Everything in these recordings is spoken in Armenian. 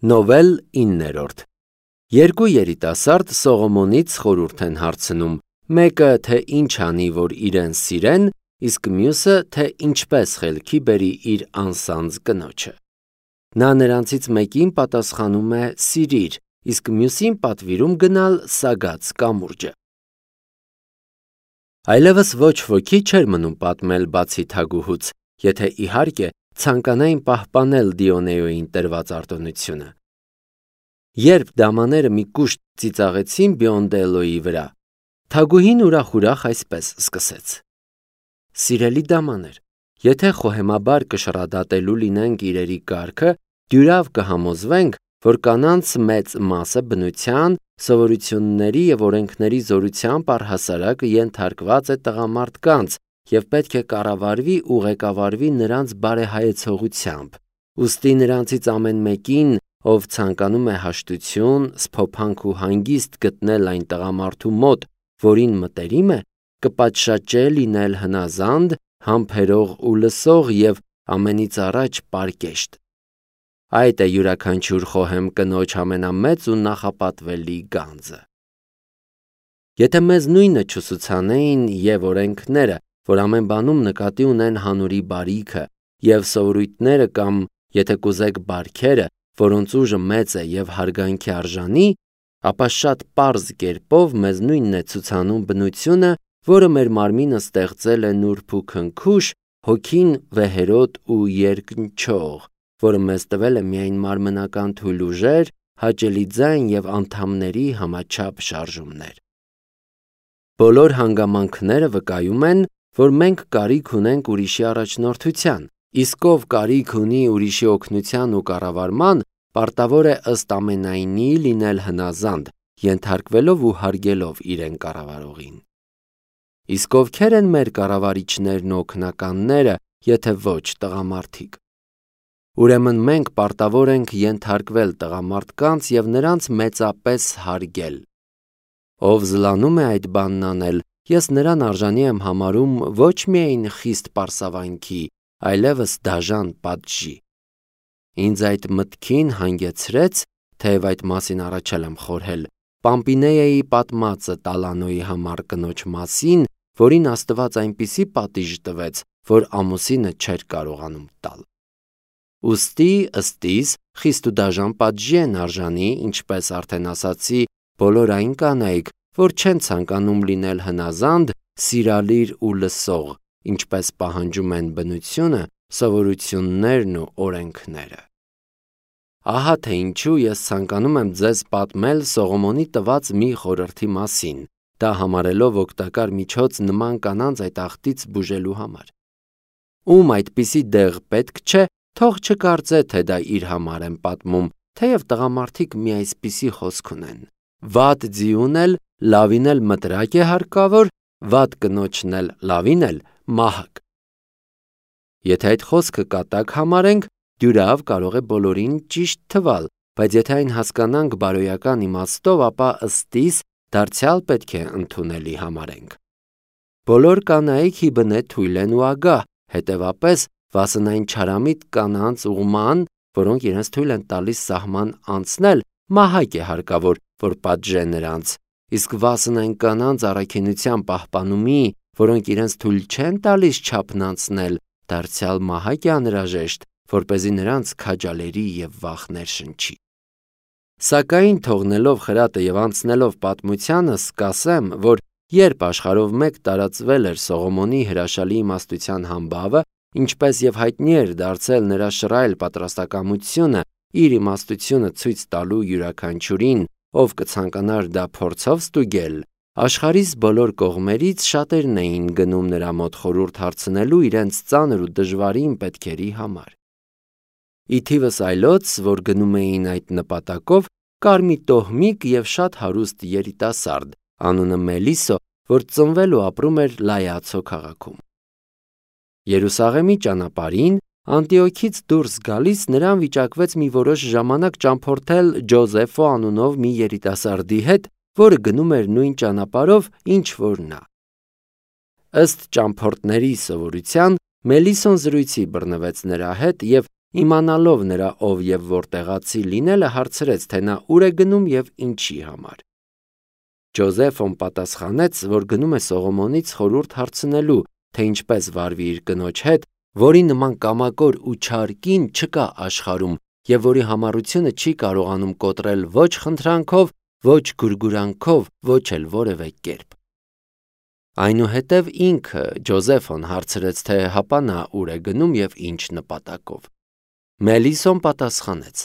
Նովել 9-րդ Երկու երիտասարդ Սողոմոնից խորհուրդ են հարցնում, մեկը թե ինչ անի, որ իրեն սիրեն, իսկ մյուսը թե ինչպես խելքի բերի իր անսանձ կնոջը։ Նա նրանցից մեկին պատասխանում է սիրիր, իսկ մյուսին պատվիրում գնալ սագած կամուրջը։ Այլևս ոչ ոքի չէր մնում պատմել բացի Թագուհուց, եթե իհարկե ցանկանային պահպանել Դիոնեոյին տրված արտոնությունը։ Երբ դամաները մի կուշտ ծիծաղեցին Բիոնդելոյի վրա, Թագուհին ուրախ այսպես սկսեց. Սիրելի դամաներ, եթե խոհեմաբար կշռադատելու լինենք իրերի կարգը, դյուրավ կհամոզվենք, որ կանանց մեծ մասը բնության, սովորությունների և օրենքների զորությամբ առհասարակ ենթարկված է տղամարդկանց և պետք է կառավարվի ու ղեկավարվի նրանց բարեհայեցողությամբ։ Ուստի նրանցից ամեն մեկին, ով ցանկանում է հաշտություն, սփոփանք ու հանգիստ գտնել այն տղամարդու մոտ, որին մտերիմ է, կպատշաճե լինել հնազանդ, համբերող ու լսող և ամենից առաջ պարկեշտ։ Այդ է յուրաքանչյուր խոհեմ կնոջ ամենամեծ ու նախապատվելի գանձը։ Եթե մեզ նույնը չուսուցանեին և օրենքները, որ ամեն բանում նկատի ունեն հանուրի բարիքը, և սովորույթները կամ, եթե կուզեք, բարքերը, որոնց ուժը մեծ է և հարգանքի արժանի, ապա շատ պարզ կերպով մեզ նույնն է ցուցանում բնությունը, որը մեր մարմինը ստեղծել է նուրբ ու քնքուշ, հոգին վեհերոտ ու երկնչող, որը մեզ տվել է միայն մարմնական թույլ ուժեր, հաճելի ձայն և անդամների համաչափ շարժումներ։ Բոլոր հանգամանքները վկայում են, որ մենք կարիք ունենք ուրիշի առաջնորդության, իսկ ով կարիք ունի ուրիշի օգնության ու կառավարման, պարտավոր է ըստ ամենայնի լինել հնազանդ, ենթարկվելով ու հարգելով իրեն կառավարողին։ Իսկ ովքեր են մեր կառավարիչներն ու օգնականները, եթե ոչ տղամարդիկ։ Ուրեմն մենք պարտավոր ենք ենթարկվել տղամարդկանց և նրանց մեծապես հարգել։ Ով զլանում է այդ բանն անել, ես նրան արժանի եմ համարում ոչ միայն խիստ պարսավանքի, այլևս դաժան պատժի։ Ինձ այդ մտքին հանգեցրեց, թեև այդ մասին առաջ եմ խորհել, Պամպինեայի պատմածը Տալանոյի համար կնոջ մասին, որին Աստված այնպիսի պատիժ տվեց, որ ամուսինը չէր կարողանում տալ։ Ուստի ըստ իս խիստ ու դաժան պատժի են արժանի, ինչպես արդեն ասացի, բոլոր այն կանայք, որ չեն ցանկանում լինել հնազանդ, սիրալիր ու լսող, ինչպես պահանջում են բնությունը, սովորություններն ու օրենքները։ Ահա թե ինչու ես ցանկանում եմ ձեզ պատմել Սողոմոնի տված մի խորհրդի մասին, դա համարելով օգտակար միջոց նման կանանց այդ աղտից բուժելու համար։ Ում այդպիսի դեղ պետք չէ, թող չկարծե, թե դա իր համար եմ պատմում, թեև տղամարդիկ մի այսպիսի խոսք ունեն. վատ ձիուն էլ լավին էլ մտրակ է հարկավոր, վատ կնոջն էլ լավին էլ մահակ։ Եթե այդ խոսքը կատակ համարենք, դյուրավ կարող է բոլորին ճիշտ թվալ, բայց եթե այն հասկանանք բարոյական իմաստով, ապա ըստ իս դարձյալ պետք է ընդունելի համարենք։ Բոլոր կանայք հիբնե թույլ են ու ագահ, հետևապես վասն չարամիտ կանանց ուղման, որոնք իրենց թույլ են տալիս սահման անցնել, մահակ է հարկավոր, որ պատժե նրանց, իսկ վասն այն կանանց առաքինության պահպանումի, որոնք իրենց թույլ չեն տալիս չափն անցնել, դարձյալ մահակ է անհրաժեշտ, որպեսզի նրանց քաջալերի և վախ ներշնչի։ Սակայն թողնելով խրատը և անցնելով պատմությանս, կասեմ, որ երբ աշխարհով մեկ տարածվել էր Սողոմոնի հրաշալի իմաստության համբավը, ինչպես և հայտնի էր դարձել նրա շռայլ պատրաստակամությունը իր իմաստությունը ցույց տալու յուրաքանչյուրին, ով կցանկանար դա փորձով ստուգել, աշխարհիս բոլոր կողմերից շատերն էին գնում նրա մոտ խորհուրդ հարցնելու իրենց ծանր ու դժվարին պետքերի համար։ Ի թիվս այլոց, որ գնում էին այդ նպատակով, կար մի տոհմիկ և շատ հարուստ երիտասարդ, անունը Մելիսո, որ ծնվել ու ապրում էր Լայացո քաղաքում։ Երուսաղեմի ճանապարհին Անտիոքից դուրս գալիս նրան վիճակվեց մի որոշ ժամանակ ճամփորդել Ջոզեֆո անունով մի երիտասարդի հետ, որը գնում էր նույն ճանապարհով, ինչ որ նա։ Ըստ ճամփորդների սովորության, Մելիսոն զրույցի բռնվեց նրա հետ և իմանալով նրա ով եւ որտեղացի լինելը հարցրեց, թե նա ուր է գնում եւ ինչի համար։ Ջոզեֆոն պատասխանեց, որ գնում է Սողոմոնից խորհուրդ հարցնելու, թե ինչպես վարվի իր կնոջ հետ, որի նման կամակոր ու չար կին չկա աշխարհում եւ որի համառությունը չի կարողանում կոտրել ոչ խնդրանքով, ոչ գուրգուրանքով, ոչ էլ որևէ կերպ։ Այնուհետև ինքը Ջոզեֆոն հարցրեց, թե հապա նա ուր է գնում եւ ինչ նպատակով։ Մելիսոն պատասխանեց.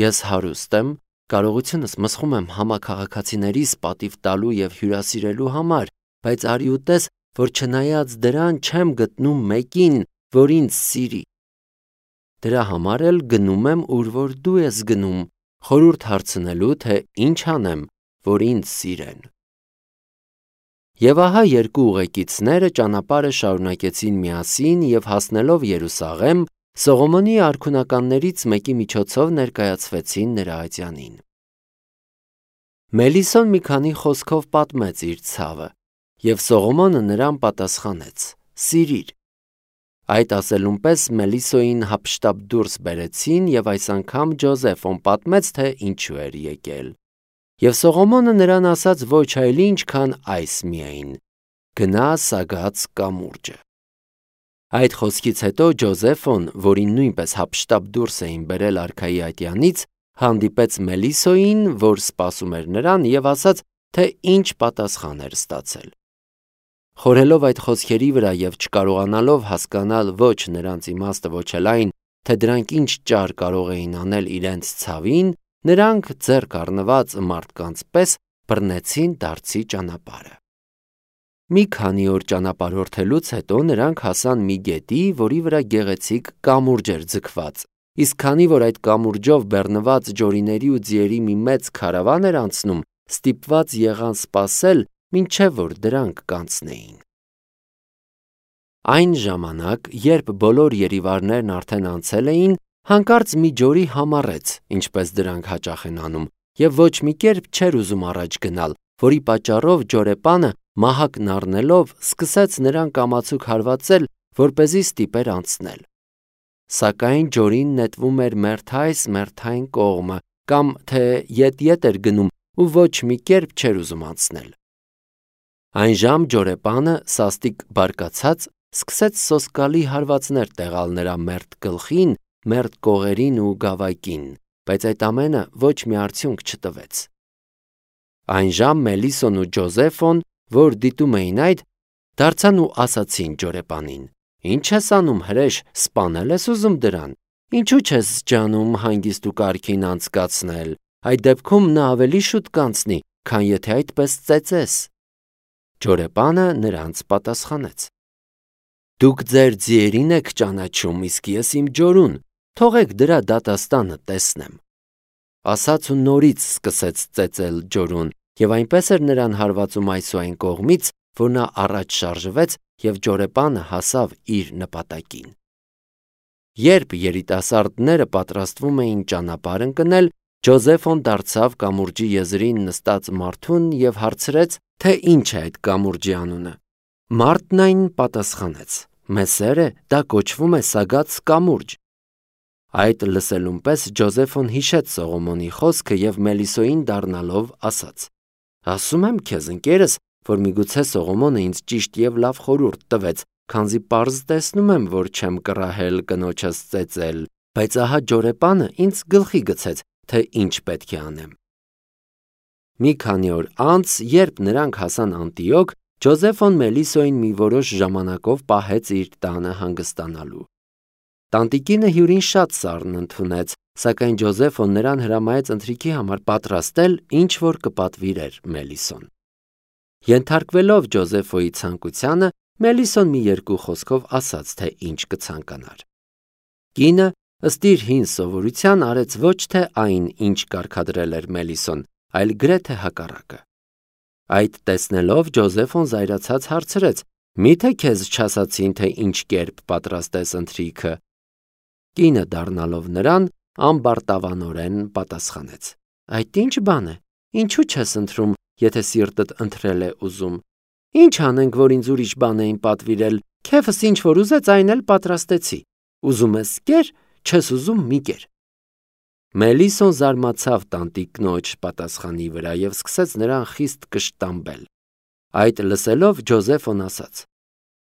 Ես հարուստ եմ, կարողությունս մսխում եմ համաքաղաքացիներիս պատիվ տալու եւ հյուրասիրելու համար, բայց արի ու տես, որ չնայած դրան չեմ գտնում մեկին, որ ինձ սիրի։ Դրա համար էլ գնում եմ, ուր որ դու ես գնում, խորհուրդ հարցնելու, թե ինչ անեմ, որ ինձ սիրեն։ Եվ ահա երկու ուղեկիցները ճանապարհը շարունակեցին միասին եւ հասնելով Երուսաղեմ, Սողոմոնի արքունականներից մեկի միջոցով ներկայացվեցին նրա ատյանին։ Մելիսոն մի քանի խոսքով պատմեց իր ցավը, եւ Սողոմոնը նրան պատասխանեց. «Սիրիր»։ Այդ ասելուն պես Մելիսոյին հափշտապ դուրս բերեցին եւ այս անգամ Ջոզեֆոն պատմեց, թե ինչու էր եկել։ Եվ Սողոմոնը նրան ասաց ոչ այլ ինչ, քան այս միայն. «Գնա Սագած կամուրջը»։ Այդ խոսքից հետո Ջոզեֆոն, որին նույնպես հափշտապ դուրս էին բերել արքայի ատյանից, հանդիպեց Մելիսոյին, որ սպասում էր նրան, եւ ասաց, թե ինչ պատասխան էր ստացել։ Խորհելով այդ խոսքերի վրա եւ չկարողանալով հասկանալ ոչ նրանց իմաստը, ոչ էլ այն, թե դրանք ինչ ճար կարող էին անել իրենց ցավին, նրանք ձեռք առնված մարդկանց պես բռնեցին դարձի ճանապարհը։ Մի քանի օր ճանապարհորդելուց հետո նրանք հասան մի գետի, որի վրա գեղեցիկ կամուրջ էր ձգված, իսկ քանի որ այդ կամուրջով բեռնված ջորիների ու ձիերի մի մեծ քարավան էր անցնում, ստիպված եղան սպասել, մինչև որ դրանք կանցնեին։ Այն ժամանակ, երբ բոլոր երիվարներն արդեն անցել էին, հանկարծ մի ջորի համառեց, ինչպես դրանք հաճախ են անում, եւ ոչ մի կերպ չէր ուզում առաջ գնալ, որի պատճառով ջորեպանը մահակն առնելով սկսեց նրան կամացուկ հարվածել, որպեսզի ստիպեր անցնել։ Սակայն ջորին նետվում էր մերթ այս, մերթ այն կողմը, կամ թե ետ էր գնում ու ոչ մի կերպ չէր ուզում անցնել։ Այն ժամ ջորեպանը սաստիկ բարկացած սկսեց սոսկալի հարվածներ տեղալ նրա մերթ գլխին, մերթ կողերին ու գավակին, բայց այդ ամենը ոչ մի արդյունք չտվեց։ Այն ժամ Մելիսոն ու Ջոզեֆոն, որ դիտում էին այդ, դարձան ու ասացին ջորեպանին. «Ինչ ես անում, հրեշ, սպանել ես ուզում դրան, ինչու չես ջանում հանգիստ ու կարգին անցկացնել, այդ դեպքում նա ավելի շուտ կանցնի, քան եթե այդպես ծեծես»։ Ջորեպանը նրանց պատասխանեց. «Դուք ձեր ձիերին եք ճանաչում, իսկ ես իմ ջորուն, թողեք դրա դատաստանը տեսնեմ»։ Ասաց ու նորից սկսեց ծեծել ջորուն, եւ այնպես էր նրան հարվածում այս ու այն կողմից, որ նա առաջ շարժվեց եւ ջորեպանը հասավ իր նպատակին։ Երբ երիտասարդները պատրաստվում էին ճանապարհ ընկնել, Ջոզեֆոն դարձավ կամուրջի եզրին նստած մարդուն եւ հարցրեց, թե ինչ է այդ կամուրջի անունը։ Մարդն այն պատասխանեց. «Մեսերը, դա կոչվում է Սագած կամուրջ»։ Այդ լսելուն պես Ջոզեֆոն հիշեց Սողոմոնի խոսքը եւ Մելիսոյին դառնալով ասաց. «Ասում եմ քեզ, ընկերս, որ միգուցե Սողոմոնը ինձ ճիշտ եւ լավ խորհուրդ տվեց, քանզի պարզ տեսնում եմ, որ չեմ կռահել կնոջս ծեծել, բայց ահա ջորեպանը ինձ գլխի գցեց, թե ինչ պետք է անեմ»։ Մի քանի օր անց, երբ նրանք հասան Անտիոք, Ջոզեֆոն Մելիսոյին մի որոշ ժամանակով պահեց իր տանը հանգստանալու։ Տանտիկինը հյուրին շատ սառն ընդունեց, սակայն Ջոզեֆոն նրան հրամայեց ընթրիքի համար պատրաստել, ինչ որ կպատվիրեր Մելիսոն։ Ենթարկվելով Ջոզեֆոյի ցանկությանը, Մելիսոն մի երկու խոսքով ասաց, թե ինչ կցանկանար։ Կինը ըստ իր հին սովորության արեց ոչ թե այն, ինչ կարգադրել էր Մելիսոն, այլ գրեթե հակառակը։ Այդ տեսնելով Ջոզեֆոն զայրացած հարցրեց. «Միթե քեզ չասացին, թե ինչ կերպ պատրաստես ընթրիքը»։ Կինը դառնալով նրան ամբարտավանորեն պատասխանեց. «Այդ ինչ բան է, ինչու չես ընթրում, եթե սիրտդ ընթրել է ուզում։ Ինչ անենք, որ ինձ ուրիշ բան էին պատվիրել, քեֆս ինչ որ ուզեց, այն էլ պատրաստեցի։ Ուզում ես կեր, չես ուզում մի կեր։ Մելիսոն զարմացավ տանտիկ կնոջ պատասխանի վրա և սկսեց նրան խիստ կշտամբել։ Այդ լսելով Ջոզեֆոն ասաց.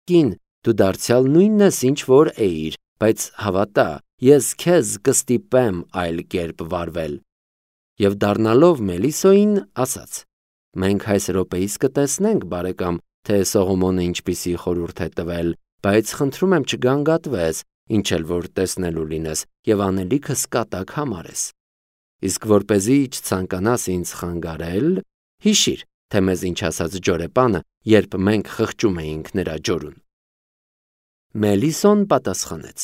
«Կին, դու դարձյալ նույնն ես, ինչ որ էիր, բայց հավատա, ես քեզ կստիպեմ այլ կերպ վարվել»։ Եվ դառնալով Մելիսոյին ասաց. «Մենք այս րոպեիս կտեսնենք, բարեկամ, թե Սողոմոնը ինչպիսի խորհուրդ է տվել, բայց խնդրում եմ չգանգատվես, ինչ էլ որ տեսնելու լինես, և անելիքս կատակ համարես։ Իսկ որպեսզի չցանկանաս ինձ խանգարել, հիշիր, թե մեզ ինչ ասաց ջորեպանը, երբ մենք խղճում էինք նրա ջորուն»։ Մելիսոն պատասխանեց.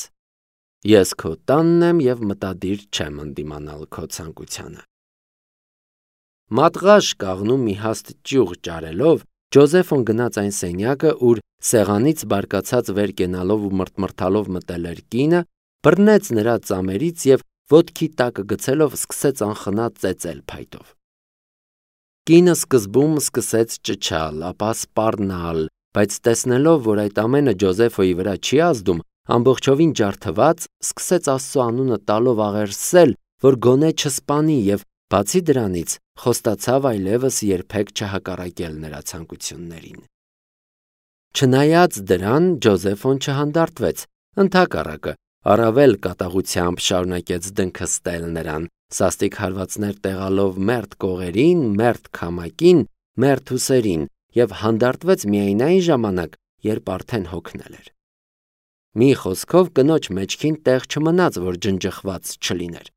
«Ես քո տանն եմ և մտադիր չեմ ընդդիմանալ քո ցանկությանը»։ Մատղաշ կաղնու մի հաստ ճյուղ ճարելով, Ջոզեֆոն գնաց այն սենյակը, ուր սեղանից բարկացած վեր կենալով ու մրթմրթալով մտել էր կինը, բռնեց նրա ծամերից և ոտքի տակը գցելով սկսեց անխնա ծեծել փայտով։ Կինը սկզբում սկսեց ճչալ, ապա սպառնալ, բայց տեսնելով, որ այդ ամենը Ջոզեֆոյի վրա չի ազդում, ամբողջովին ջարդված, սկսեց Աստծո անունը տալով աղերսել, որ գոնե չսպանի և բացի դրանից խոստացավ այլևս երբեք չհակառակել նրա ցանկություններին։ Չնայած դրան Ջոզեֆոն չհանդարտվեց, ընդհակառակը, առավել կատաղությամբ շարունակեց դնքը ստել նրան, սաստիկ հարվածներ տեղալով մերթ կողերին, մերթ քամակին, մերթ ուսերին և հանդարտվեց միայն այն ժամանակ, երբ արդեն հոգնել էր։ Մի խոսքով կնոջ մեջքին տեղ չմնաց, որ ջնջխված չլիներ։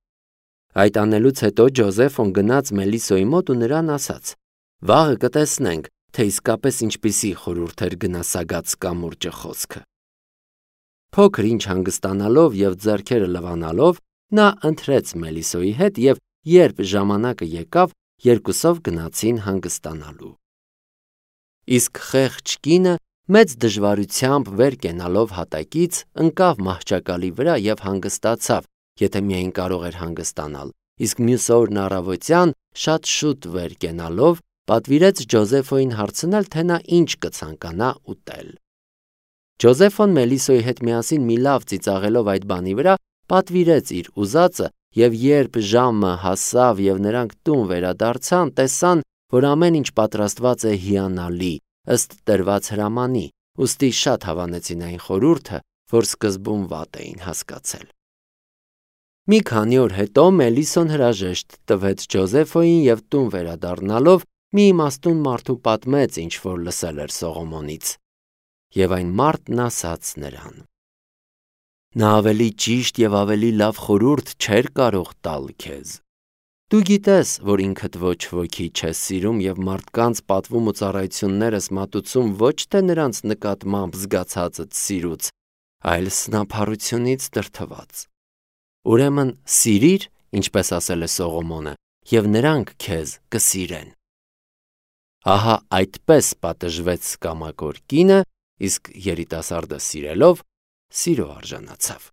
Այդ անելուց հետո Ջոզեֆոն գնաց Մելիսոյի մոտ ու նրան ասաց. «Վաղը կտեսնենք, թե իսկապես ինչպիսի խորհուրդ էր գնասագած կամուրջը խոսքը»։ Փոքր ինչ հանգստանալով և ձեռքերը լվանալով, նա ընթրեց Մելիսոյի հետ և երբ ժամանակը եկավ, երկուսով գնացին հանգստանալու։ Իսկ խեղճ կինը մեծ դժվարությամբ վեր կենալով հատակից ընկավ մահճակալի վրա և հանգստացավ, եթե միայն կարող էր հանգստանալ, իսկ մյուս օրն առավոտյան շատ շուտ վեր կենալով պատվիրեց Ջոզեֆոյին հարցնել, թե նա ինչ կցանկանա ուտել։ Ջոզեֆոն Մելիսոյի հետ միասին մի լավ ծիծաղելով այդ բանի վրա պատվիրեց իր ուզածը, և երբ ժամը հասավ և նրանք տուն վերադարձան, տեսան, որ ամեն ինչ պատրաստված է հիանալի, ըստ տրված հրամանի, ուստի շատ հավանեցին այն խորհուրդը, որ սկզբում վատ էին հասկացել։ Մի քանի օր հետո Մելիսոն հրաժեշտ տվեց Ջոզեֆոյին և տուն վերադառնալով մի իմաստուն մարդու պատմեց, ինչ որ լսել էր Սողոմոնից։ Եվ այն մարդն ասաց նրան. «Նա ավելի ճիշտ և ավելի լավ խորհուրդ չէր կարող տալ քեզ։ Դու գիտես, որ ինքդ ոչ ոքի չես սիրում և մարդկանց պատվում ու ծառայություններս մատուցում ոչ թե նրանց նկատմամբ զգացածդ սիրուց, այլ սնափառությունից դրդված։ Ուրեմն սիրիր, ինչպես ասել է Սողոմոնը, և նրանք քեզ կսիրեն»։ Ահա այդպես պատժվեց կամակոր կինը, իսկ երիտասարդը սիրելով, սիրո արժանացավ։